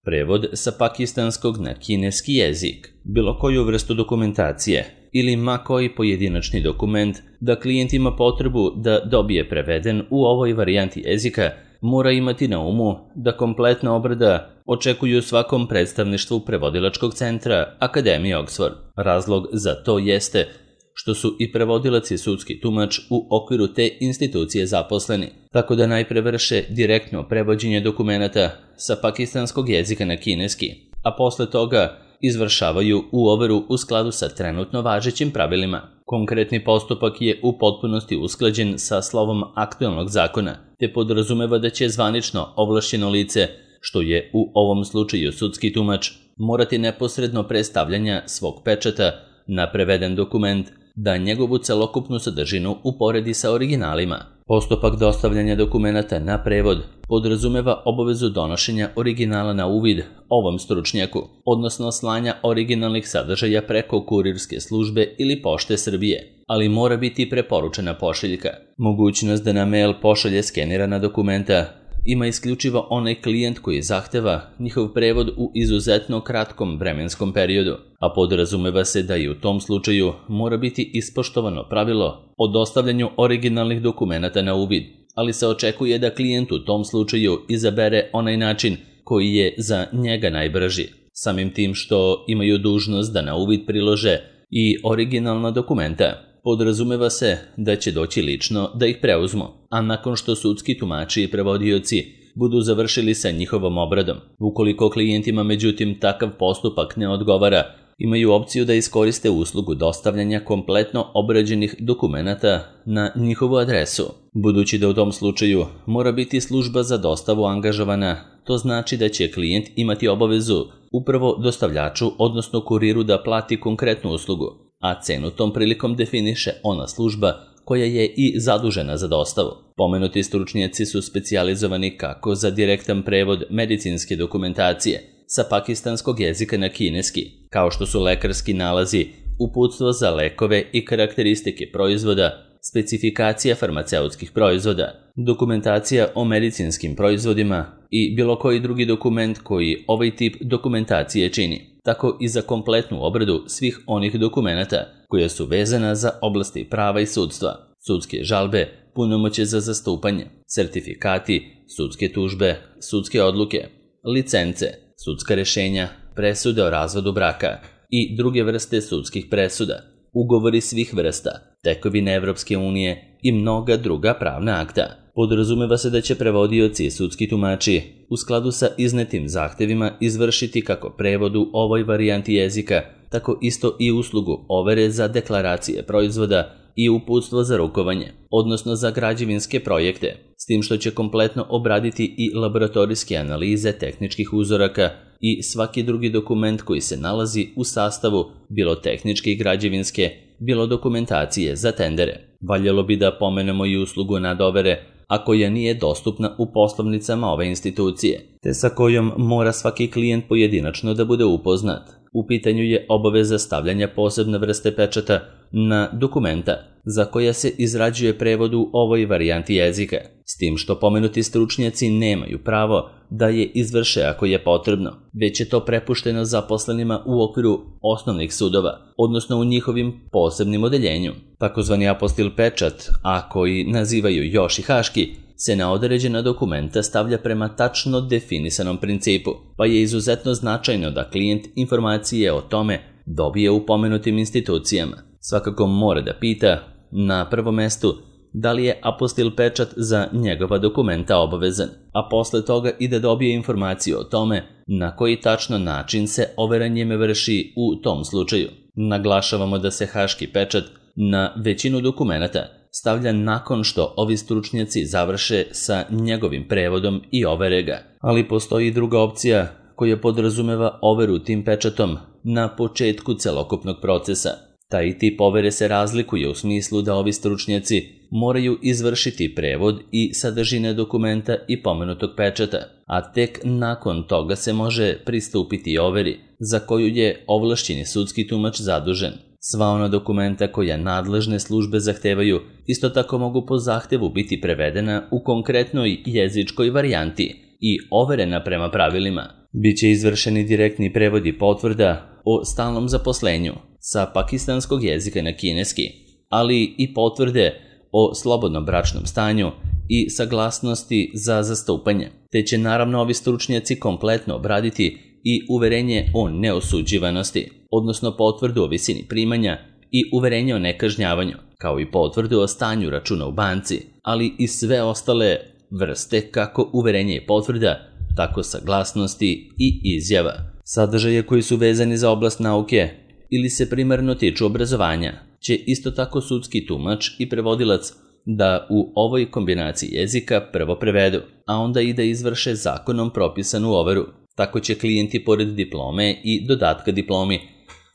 prevod sa pakistanskog na kineski jezik, bilo koju vrstu dokumentacije ili ma koji pojedinačni dokument da klijent ima potrebu da dobije preveden u ovoj varijanti jezika, mora imati na umu da kompletna obrada očekuju svakom predstavništvu prevodilačkog centra Akademije Oxford. Razlog za to jeste što su i prevodilac i sudski tumač u okviru te institucije zaposleni, tako da najpre vrše direktno prevođenje dokumenata sa pakistanskog jezika na kineski, a posle toga izvršavaju u overu u skladu sa trenutno važećim pravilima. Konkretni postupak je u potpunosti usklađen sa slovom aktualnog zakona, te podrazumeva da će zvanično ovlašćeno lice, što je u ovom slučaju sudski tumač, morati neposredno pre stavljanja svog pečata na preveden dokument da njegovu celokupnu sadržinu uporedi sa originalima. Postupak dostavljanja dokumenata na prevod podrazumeva obavezu donošenja originala na uvid ovom stručnjaku, odnosno slanja originalnih sadržaja preko kurirske službe ili Pošte Srbije, ali mora biti preporučena pošiljka. Mogućnost da na mail pošalje skenirana dokumenta ima isključivo onaj klijent koji zahteva njihov prevod u izuzetno kratkom vremenskom periodu, a podrazumeva se da i u tom slučaju mora biti ispoštovano pravilo o dostavljanju originalnih dokumenata na uvid, ali se očekuje da klijent u tom slučaju izabere onaj način koji je za njega najbrži, samim tim što imaju dužnost da na uvid prilože i originalna dokumenta. Podrazumeva se da će doći lično da ih preuzmu, a nakon što sudski tumači i prevodioci budu završili sa njihovom obradom. Ukoliko klijentima međutim takav postupak ne odgovara, imaju opciju da iskoriste uslugu dostavljanja kompletno obrađenih dokumenata na njihovu adresu. Budući da u tom slučaju mora biti služba za dostavu angažovana, to znači da će klijent imati obavezu upravo dostavljaču, odnosno kuriru, da plati konkretnu uslugu, a cenu tom prilikom definiše ona služba koja je i zadužena za dostavu. Pomenuti stručnjaci su specijalizovani kako za direktan prevod medicinske dokumentacije sa pakistanskog jezika na kineski, kao što su lekarski nalazi, uputstvo za lekove i karakteristike proizvoda, specifikacija farmaceutskih proizvoda, dokumentacija o medicinskim proizvodima i bilo koji drugi dokument koji ovaj tip dokumentacije čini, tako i za kompletnu obradu svih onih dokumenata koja su vezana za oblasti prava i sudstva, sudske žalbe, punomoćje za zastupanje, sertifikati, sudske tužbe, sudske odluke, licence, sudska rešenja, presude o razvodu braka i druge vrste sudskih presuda, ugovori svih vrsta, tekovine Evropske unije i mnoga druga pravna akta. Podrazumeva se da će prevodioci i sudski tumači u skladu sa iznetim zahtevima izvršiti kako prevod u ovoj varijanti jezika, tako isto i uslugu overe za deklaracije proizvoda i uputstvo za rukovanje, odnosno za građevinske projekte, s tim što će kompletno obraditi i laboratorijske analize tehničkih uzoraka i svaki drugi dokument koji se nalazi u sastavu bilo tehničke i građevinske, bilo dokumentacije za tendere. Valjalo bi da pomenemo i uslugu nadovere, a koja nije dostupna u poslovnicama ove institucije, te sa kojom mora svaki klijent pojedinačno da bude upoznat. U pitanju je obaveza stavljanja posebne vrste pečata na dokumenta za koja se izrađuje prevod u ovoj varijanti jezika, s tim što pomenuti stručnjaci nemaju pravo da je izvrše ako je potrebno, već je to prepušteno zaposlenima u okviru osnovnih sudova, odnosno u njihovim posebnim odeljenju. Takozvani apostil pečat, a koji nazivaju još i haški, se na određena dokumenta stavlja prema tačno definisanom principu, pa je izuzetno značajno da klijent informacije o tome dobije u pomenutim institucijama. Svakako mora da pita, na prvom mestu, da li je apostil pečat za njegova dokumenta obavezan, a posle toga i da dobije informaciju o tome na koji tačno način se overa njime vrši u tom slučaju. Naglašavamo da se haški pečat na većinu dokumenata stavlja nakon što ovi stručnjaci završe sa njegovim prevodom i overe ga, ali postoji i druga opcija koja podrazumeva overu tim pečatom na početku celokupnog procesa. Taj tip overe se razlikuje u smislu da ovi stručnjaci moraju izvršiti prevod i sadržine dokumenta i pomenutog pečata, a tek nakon toga se može pristupiti overi za koju je ovlašćeni sudski tumač zadužen. Sva ona dokumenta koja nadležne službe zahtevaju isto tako mogu po zahtevu biti prevedena u konkretnoj jezičkoj varijanti, i overena prema pravilima. Biće izvršeni direktni prevodi potvrda o stalnom zaposlenju sa pakistanskog jezika na kineski, ali i potvrde o slobodnom bračnom stanju i saglasnosti za zastupanje, te će naravno ovi stručnjaci kompletno obraditi i uverenje o neosuđivanosti, odnosno potvrdu o visini primanja i uverenje o nekažnjavanju, kao i potvrdu o stanju računa u banci, ali i sve ostale vrste kako uverenje i potvrda, tako saglasnosti i izjava. Sadržaje koji su vezani za oblast nauke ili se primarno tiču obrazovanja će isto tako sudski tumač i prevodilac da u ovoj kombinaciji jezika prvo prevedu, a onda i da izvrše zakonom propisanu overu. Tako će klijenti pored diplome i dodatka diplomi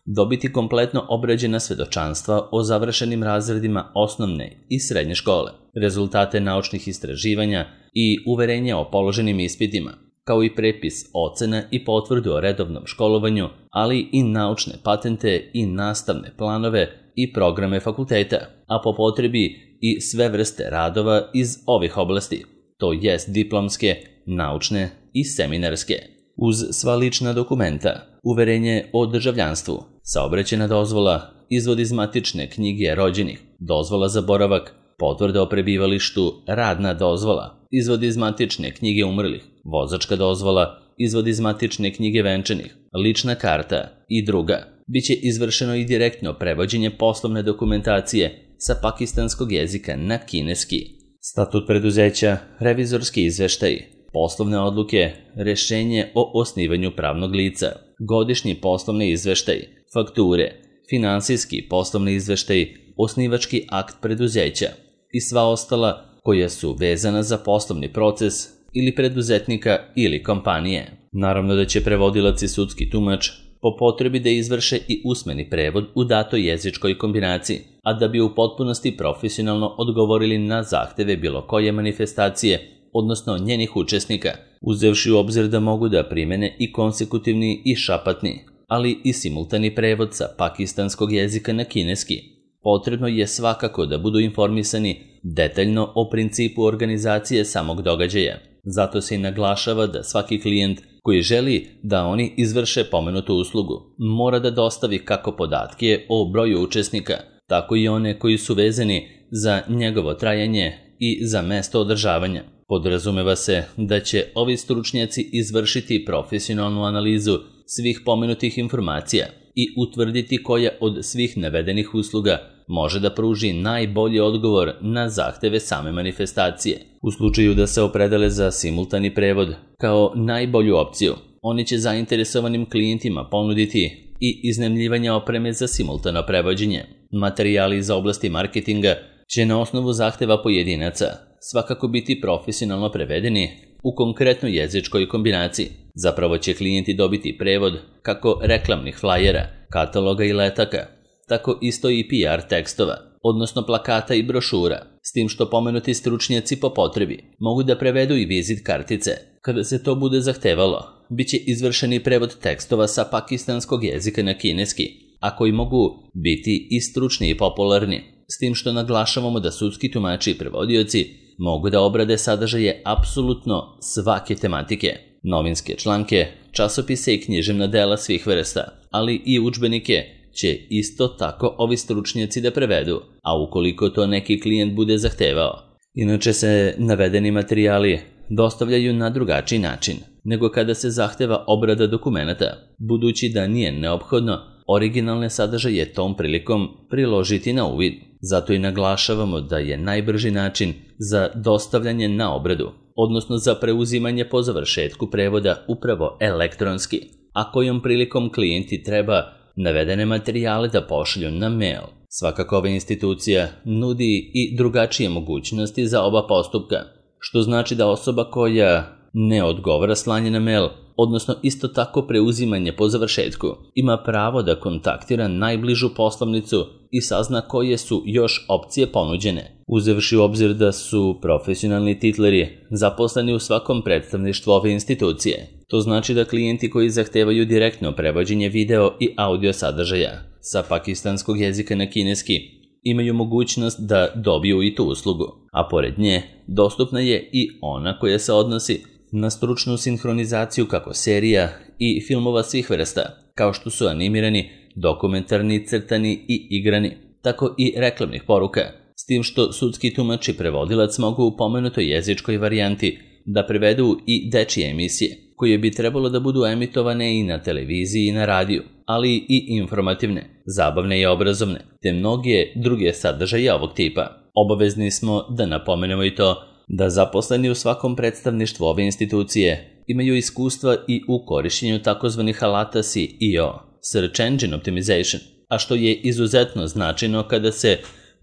dobiti kompletno obrađena svedočanstva o završenim razredima osnovne i srednje škole, rezultate naučnih istraživanja i uverenja o položenim ispitima, kao i prepis ocena i potvrdu o redovnom školovanju, ali i naučne patente i nastavne planove i programe fakulteta, a po potrebi i sve vrste radova iz ovih oblasti, to jest diplomske, naučne i seminarske. Uz sva lična dokumenta, uverenje o državljanstvu, saobraćajna dozvola, izvod iz matične knjige rođenih, dozvola za boravak, potvrda o prebivalištu, radna dozvola, izvod iz matične knjige umrlih, vozačka dozvola, izvod iz matične knjige venčanih, lična karta i druga. Biće izvršeno i direktno prevođenje poslovne dokumentacije sa pakistanskog jezika na kineski. Statut preduzeća, revizorski izveštaj, poslovne odluke, rešenje o osnivanju pravnog lica, godišnji poslovni izveštaj, fakture, finansijski poslovni izveštaj, osnivački akt preduzeća i sva ostala koja su vezana za poslovni proces ili preduzetnika ili kompanije. Naravno da će prevodilac i sudski tumač po potrebi da izvrše i usmeni prevod u datoj jezičkoj kombinaciji, a da bi u potpunosti profesionalno odgovorili na zahteve bilo koje manifestacije, odnosno njenih učesnika, uzevši u obzir da mogu da primene i konsekutivni i šapatni, ali i simultani prevod sa pakistanskog jezika na kineski. Potrebno je svakako da budu informisani detaljno o principu organizacije samog događaja. Zato se i naglašava da svaki klijent koji želi da oni izvrše pomenutu uslugu mora da dostavi kako podatke o broju učesnika, tako i one koji su vezani za njegovo trajanje i za mesto održavanja. Podrazumeva se da će ovi stručnjaci izvršiti profesionalnu analizu svih pomenutih informacija i utvrditi koja od svih navedenih usluga može da pruži najbolji odgovor na zahteve same manifestacije. U slučaju da se opredele za simultani prevod kao najbolju opciju, oni će zainteresovanim klijentima ponuditi i iznajmljivanje opreme za simultano prevođenje. Materijali iz oblasti marketinga će na osnovu zahteva pojedinaca svakako biti profesionalno prevedeni u konkretnoj jezičkoj kombinaciji. Zapravo će klijenti dobiti prevod kako reklamnih flajera, kataloga i letaka, tako isto i PR tekstova, odnosno plakata i brošura, s tim što pomenuti stručnjaci po potrebi mogu da prevedu i vizit kartice. Kada se to bude zahtevalo, bit će izvršeni prevod tekstova sa pakistanskog jezika na kineski, a koji mogu biti i stručni i popularni, s tim što naglašavamo da sudski tumači i prevodioci mogu da obrade sadržaje apsolutno svake tematike, novinske članke, časopise i književna dela svih vrsta, ali i udžbenike će isto tako ovi stručnjaci da prevedu, a ukoliko to neki klijent bude zahtevao. Inače se navedeni materijali dostavljaju na drugačiji način nego kada se zahteva obrada dokumenata, budući da nije neophodno originalne sadržaje tom prilikom priložiti na uvid. Zato i naglašavamo da je najbrži način za dostavljanje na obradu, odnosno za preuzimanje po završetku prevoda upravo elektronski, a kojom prilikom klijenti treba navedene materijale da pošalju na mail. Svakako ova institucija nudi i drugačije mogućnosti za oba postupka, što znači da osoba koja ne odgovara slanje na mail, odnosno isto tako preuzimanje po završetku, ima pravo da kontaktira najbližu poslovnicu i sazna koje su još opcije ponuđene, uzevši u obzir da su profesionalni titleri zaposleni u svakom predstavništvu ove institucije. To znači da klijenti koji zahtevaju direktno prevođenje video i audio sadržaja sa pakistanskog jezika na kineski imaju mogućnost da dobiju i tu uslugu, a pored nje dostupna je i ona koja se odnosi na stručnu sinhronizaciju kako serija i filmova svih vrsta, kao što su animirani, dokumentarni, crtani i igrani, tako i reklamnih poruka, s tim što sudski tumač i prevodilac mogu u pomenutoj jezičkoj varijanti da prevedu i dečije emisije, koje bi trebalo da budu emitovane i na televiziji i na radiju, ali i informativne, zabavne i obrazovne, te mnoge druge sadržaje ovog tipa. Obavezni smo da napomenemo i to da zaposleni u svakom predstavništvu ove institucije imaju iskustva i u korišćenju takozvanih alata SEO, Search Engine Optimization, a što je izuzetno značajno kada se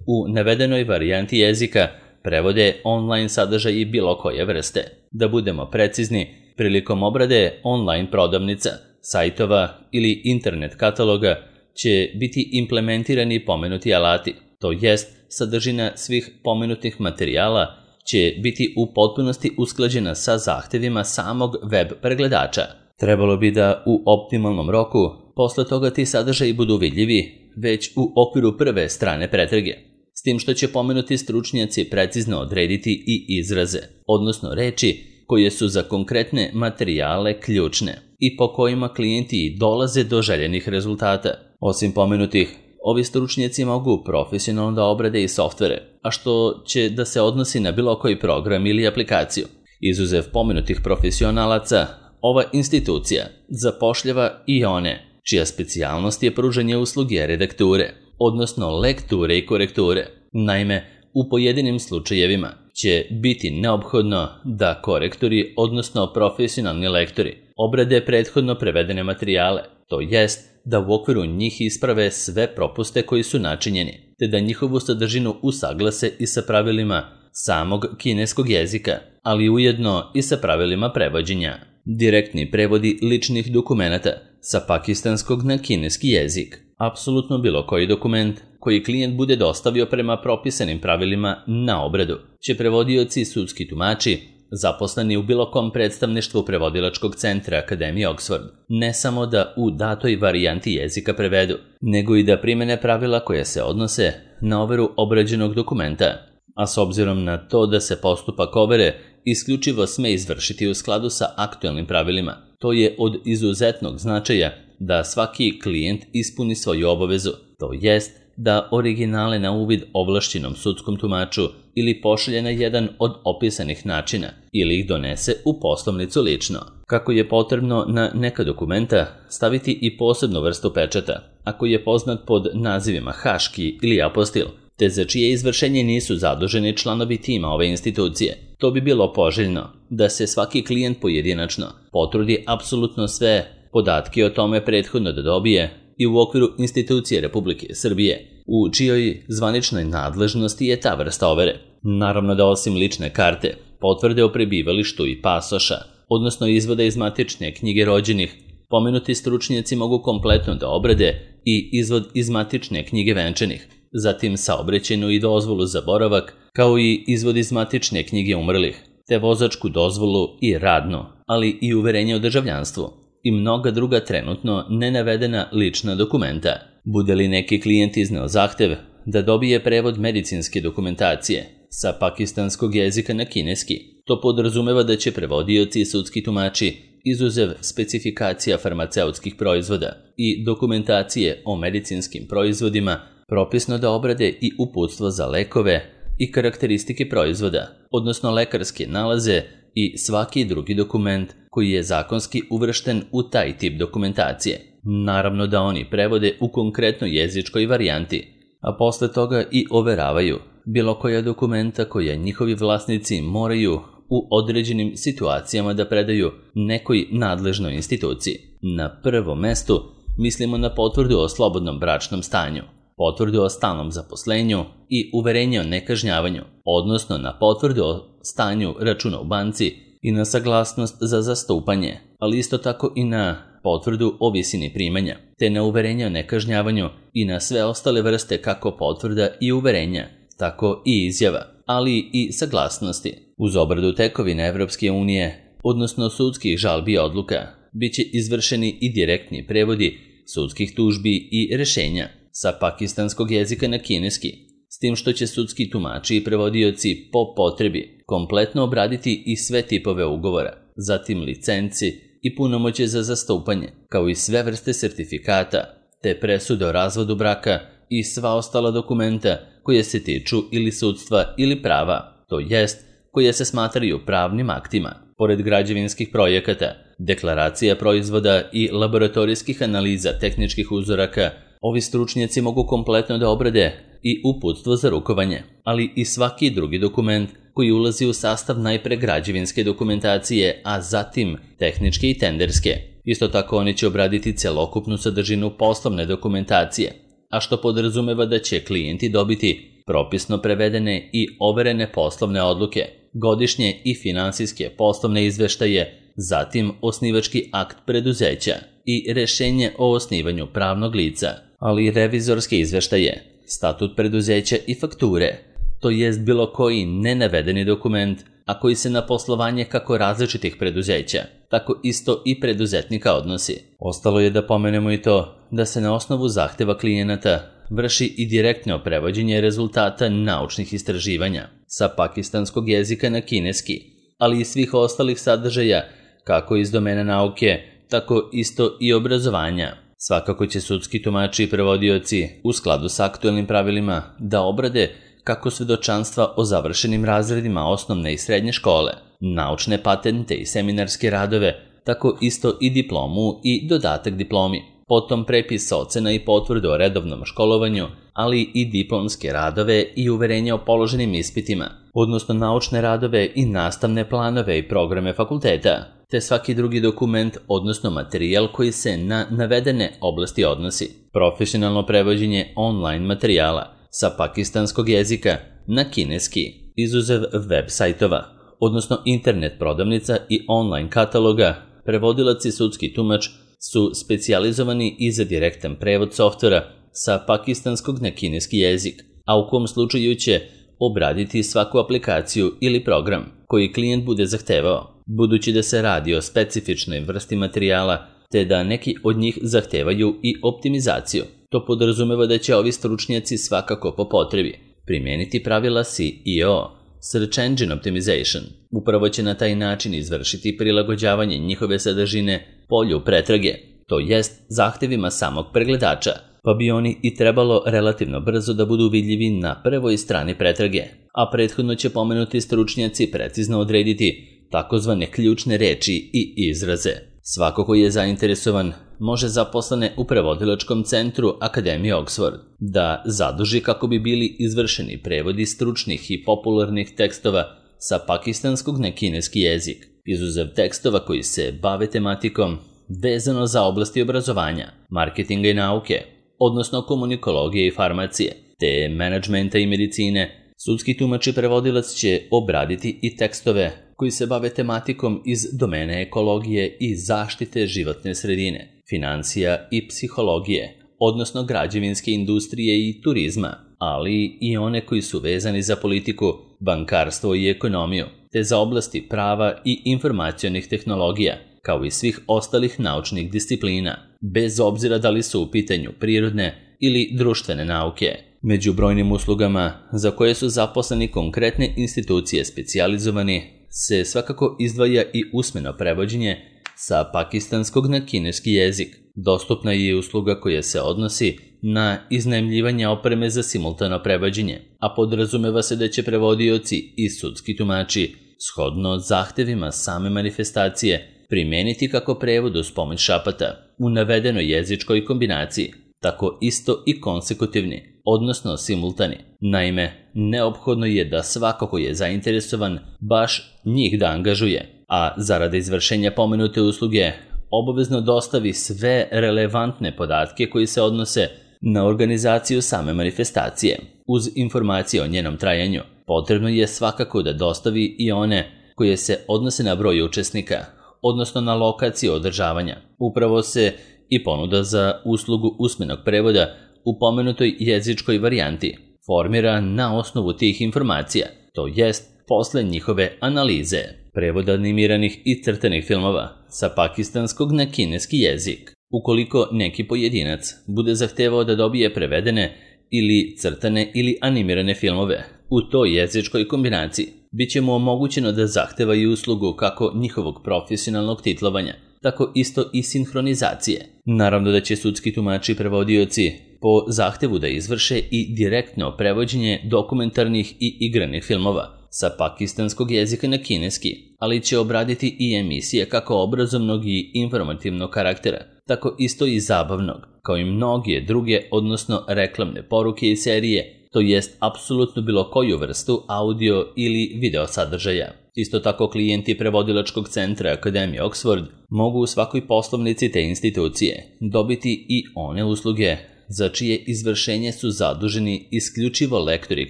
u navedenoj varijanti jezika prevode online sadržaji bilo koje vrste. Da budemo precizni, prilikom obrade online prodavnica, sajtova ili internet kataloga će biti implementirani pomenuti alati, to jest sadržina svih pomenutih materijala će biti u potpunosti usklađena sa zahtevima samog web pregledača. Trebalo bi da u optimalnom roku posle toga ti sadržaji budu vidljivi već u okviru prve strane pretrage, s tim što će pomenuti stručnjaci precizno odrediti i izraze, odnosno reči koje su za konkretne materijale ključne i po kojima klijenti dolaze do željenih rezultata. Osim pomenutih, ovi stručnjaci mogu profesionalno da obrade i softvere, a što će da se odnosi na bilo koji program ili aplikaciju. Izuzev pomenutih profesionalaca, ova institucija zapošljava i one čija specijalnost je pružanje usluge redakture, odnosno lekture i korekture. Naime, u pojedinim slučajevima će biti neophodno da korektori, odnosno profesionalni lektori, obrade prethodno prevedene materijale, to jest da u okviru njih isprave sve propuste koji su načinjeni, te da njihovu sadržinu usaglase i sa pravilima samog kineskog jezika, ali ujedno i sa pravilima prevođenja. Direktni prevodi ličnih dokumenata sa pakistanskog na kineski jezik. Apsolutno bilo koji dokument koji klijent bude dostavio prema propisanim pravilima na obradu će prevodioci i sudski tumači zaposleni u bilo kom predstavništvu prevodilačkog centra Akademije Oxford ne samo da u datoj varijanti jezika prevedu, nego i da primene pravila koje se odnose na overu obrađenog dokumenta, a s obzirom na to da se postupak overe isključivo sme izvršiti u skladu sa aktuelnim pravilima, to je od izuzetnog značaja da svaki klijent ispuni svoju obavezu, to jest da originale na uvid ovlašćenom sudskom tumaču ili pošalje na jedan od opisanih načina ili ih donese u poslovnicu lično. Kako je potrebno na neka dokumenta staviti i posebnu vrstu pečata, ako je poznat pod nazivima haški ili apostil, te za čije izvršenje nisu zaduženi članovi tima ove institucije. To bi bilo poželjno da se svaki klijent pojedinačno potrudi apsolutno sve podatke o tome prethodno da dobije i u okviru institucije Republike Srbije, u čijoj zvaničnoj nadležnosti je ta vrsta overe. Naravno da osim lične karte, potvrde o prebivalištu i pasoša, odnosno izvoda iz matične knjige rođenih, pomenuti stručnjaci mogu kompletno da obrade i izvod iz matične knjige venčanih, zatim saobraćajnu i dozvolu za boravak, kao i izvod iz matične knjige umrlih, te vozačku dozvolu i radno, ali i uverenje o državljanstvu i mnoga druga trenutno nenavedena lična dokumenta. Bude li neki klijent izneo zahtev da dobije prevod medicinske dokumentacije sa pakistanskog jezika na kineski, to podrazumeva da će prevodioci i sudski tumači izuzev specifikacija farmaceutskih proizvoda i dokumentacije o medicinskim proizvodima propisno da obrade i uputstvo za lekove i karakteristike proizvoda, odnosno lekarske nalaze i svaki drugi dokument koji je zakonski uvršten u taj tip dokumentacije. Naravno da oni prevode u konkretnoj jezičkoj varijanti, a posle toga i overavaju bilo koja dokumenta koja njihovi vlasnici moraju u određenim situacijama da predaju nekoj nadležnoj instituciji. Na prvom mestu mislimo na potvrdu o slobodnom bračnom stanju, potvrdu o stalnom zaposlenju i uverenje o nekažnjavanju, odnosno na potvrdu o stanju računa u banci i na saglasnost za zastupanje, ali isto tako i na potvrdu o visini primanja, te na uverenje o nekažnjavanju i na sve ostale vrste kako potvrda i uverenja, tako i izjava, ali i saglasnosti. Uz obradu tekovine Evropske unije, odnosno sudskih žalbi i odluka, bit će izvršeni i direktni prevodi sudskih tužbi i rešenja sa pakistanskog jezika na kineski, s tim što će sudski tumači i prevodioci po potrebi kompletno obraditi i sve tipove ugovora, zatim licenci i punomoćje za zastupanje, kao i sve vrste sertifikata, te presude o razvodu braka i sva ostala dokumenta koje se tiču ili sudstva ili prava, to jest koje se smatraju pravnim aktima. Pored građevinskih projekata, deklaracija proizvoda i laboratorijskih analiza tehničkih uzoraka, ovi stručnjaci mogu kompletno da obrade i uputstvo za rukovanje, ali i svaki drugi dokument koji ulazi u sastav najpre građevinske dokumentacije, a zatim tehničke i tenderske. Isto tako oni će obraditi celokupnu sadržinu poslovne dokumentacije, a što podrazumeva da će klijenti dobiti propisno prevedene i overene poslovne odluke, godišnje i finansijske poslovne izveštaje, zatim osnivački akt preduzeća i rešenje o osnivanju pravnog lica, ali i revizorske izveštaje, statut preduzeća i fakture, to jest bilo koji nenavedeni dokument, a koji se na poslovanje kako različitih preduzeća, tako isto i preduzetnika odnosi. Ostalo je da pomenemo i to da se na osnovu zahteva klijenata vrši i direktno prevođenje rezultata naučnih istraživanja sa pakistanskog jezika na kineski, ali i svih ostalih sadržaja, kako iz domena nauke, tako isto i obrazovanja. Svakako će sudski tumači i prevodioci, u skladu s aktuelnim pravilima, da obrade kako svedočanstva o završenim razredima osnovne i srednje škole, naučne patente i seminarske radove, tako isto i diplomu i dodatak diplomi, potom prepis ocena i potvrdu o redovnom školovanju, ali i diplomske radove i uverenja o položenim ispitima, odnosno naučne radove i nastavne planove i programe fakulteta, te svaki drugi dokument, odnosno materijal koji se na navedene oblasti odnosi. Profesionalno prevođenje online materijala sa pakistanskog jezika na kineski, izuzev web sajtova, odnosno internet prodavnica i online kataloga, prevodilac i sudski tumač su specijalizovani i za direktan prevod softvera sa pakistanskog na kineski jezik, a u kom slučaju će obraditi svaku aplikaciju ili program koji klijent bude zahtevao, budući da se radi o specifičnoj vrsti materijala, te da neki od njih zahtevaju i optimizaciju. To podrazumeva da će ovi stručnjaci svakako po potrebi primijeniti pravila SEO, Search Engine Optimization. Upravo će na taj način izvršiti prilagođavanje njihove sadržine polju pretrage, to jest zahtevima samog pregledača, pa bi oni i trebalo relativno brzo da budu vidljivi na prvoj strani pretrage, a prethodno će pomenuti stručnjaci precizno odrediti takozvane ključne reči i izraze. Svako ko je zainteresovan može zaposlene u prevodilačkom centru Akademije Oxford da zaduži kako bi bili izvršeni prevodi stručnih i popularnih tekstova sa pakistanskog na kineski jezik, izuzev tekstova koji se bave tematikom vezano za oblasti obrazovanja, marketinga i nauke, odnosno komunikologije i farmacije, te menadžmenta i medicine. Sudski tumač i prevodilac će obraditi i tekstove koji se bave tematikom iz domene ekologije i zaštite životne sredine, financija i psihologije, odnosno građevinske industrije i turizma, ali i one koji su vezani za politiku, bankarstvo i ekonomiju, te za oblasti prava i informacionih tehnologija, kao i svih ostalih naučnih disciplina, bez obzira da li su u pitanju prirodne ili društvene nauke. Među brojnim uslugama za koje su zaposleni konkretne institucije specijalizovani se svakako izdvaja i usmeno prevođenje sa pakistanskog na kineski jezik. Dostupna je usluga koja se odnosi na iznajmljivanje opreme za simultano prevođenje, a podrazumeva se da će prevodioci i sudski tumači, shodno zahtevima same manifestacije, primijeniti kako prevod uz pomoć šapata u navedenoj jezičkoj kombinaciji, tako isto i konsekutivni, odnosno simultani. Naime, neophodno je da svako ko je zainteresovan baš njih da angažuje, a zarada izvršenja pomenute usluge obavezno dostavi sve relevantne podatke koji se odnose na organizaciju same manifestacije. Uz informacije o njenom trajanju, potrebno je svakako da dostavi i one koje se odnose na broj učesnika, odnosno na lokaciju održavanja. Upravo se i ponuda za uslugu usmenog prevoda u pomenutoj jezičkoj varijanti formira na osnovu tih informacija, to jest posle njihove analize. Prevod animiranih i crtanih filmova sa pakistanskog na kineski jezik. Ukoliko neki pojedinac bude zahtevao da dobije prevedene ili crtane ili animirane filmove u toj jezičkoj kombinaciji, Biće mu omogućeno da zahteva i uslugu kako njihovog profesionalnog titlovanja, tako isto i sinhronizacije. Naravno da će sudski tumači i prevodioci po zahtevu da izvrše i direktno prevođenje dokumentarnih i igranih filmova sa pakistanskog jezika na kineski, ali će obraditi i emisije kako obrazovnog i informativnog karaktera, tako isto i zabavnog, kao i mnoge druge, odnosno reklamne poruke i serije, to jest apsolutno bilo koju vrstu audio ili video sadržaja. Isto tako klijenti prevodilačkog centra Akademije Oxford mogu u svakoj poslovnici te institucije dobiti i one usluge za čije izvršenje su zaduženi isključivo lektori i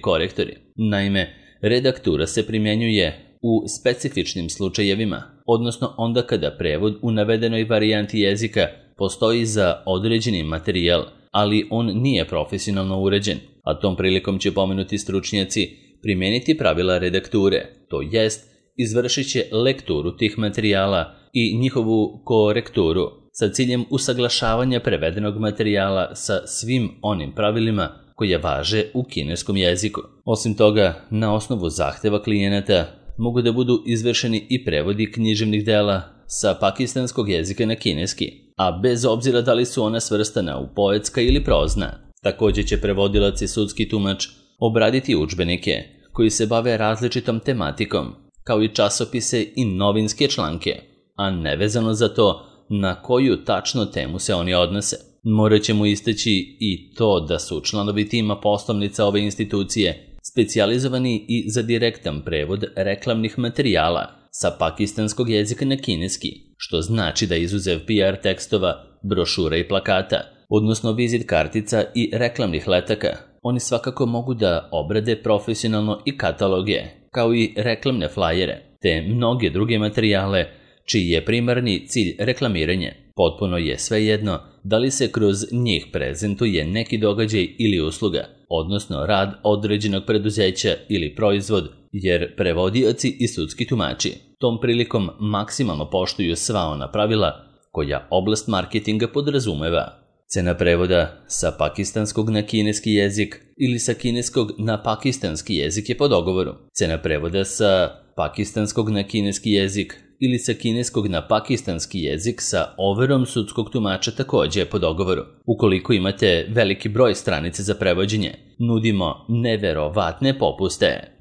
korektori. Naime, redaktura se primjenjuje u specifičnim slučajevima, odnosno onda kada prevod u navedenoj varijanti jezika postoji za određeni materijal, ali on nije profesionalno uređen, a tom prilikom će pomenuti stručnjaci primijeniti pravila redakture, to jest izvršit će lekturu tih materijala i njihovu korekturu sa ciljem usaglašavanja prevedenog materijala sa svim onim pravilima koje važe u kineskom jeziku. Osim toga, na osnovu zahteva klijenata mogu da budu izvršeni i prevodi književnih dela sa pakistanskog jezika na kineski, a bez obzira da li su ona svrstana u poetska ili prozna. Također će prevodilac i sudski tumač obraditi udžbenike koji se bave različitom tematikom, kao i časopise i novinske članke, a nevezano za to na koju tačno temu se oni odnose. Morat ćemo istaći i to da su članovi tima poslovnica ove institucije specijalizovani i za direktan prevod reklamnih materijala sa pakistanskog jezika na kineski, što znači da izuzev PR tekstova, brošura i plakata, odnosno vizit kartica i reklamnih letaka, oni svakako mogu da obrade profesionalno i kataloge, kao i reklamne flajere, te mnoge druge materijale čiji je primarni cilj reklamiranje. Potpuno je svejedno da li se kroz njih prezentuje neki događaj ili usluga, odnosno rad određenog preduzeća ili proizvod, jer prevodioci i sudski tumači tom prilikom maksimalno poštuju sva ona pravila koja oblast marketinga podrazumeva. Cena prevoda sa pakistanskog na kineski jezik ili sa kineskog na pakistanski jezik je po dogovoru. Cena prevoda sa pakistanskog na kineski jezik ili sa kineskog na pakistanski jezik sa overom sudskog tumača također je po dogovoru. Ukoliko imate veliki broj stranice za prevođenje, nudimo neverovatne popuste.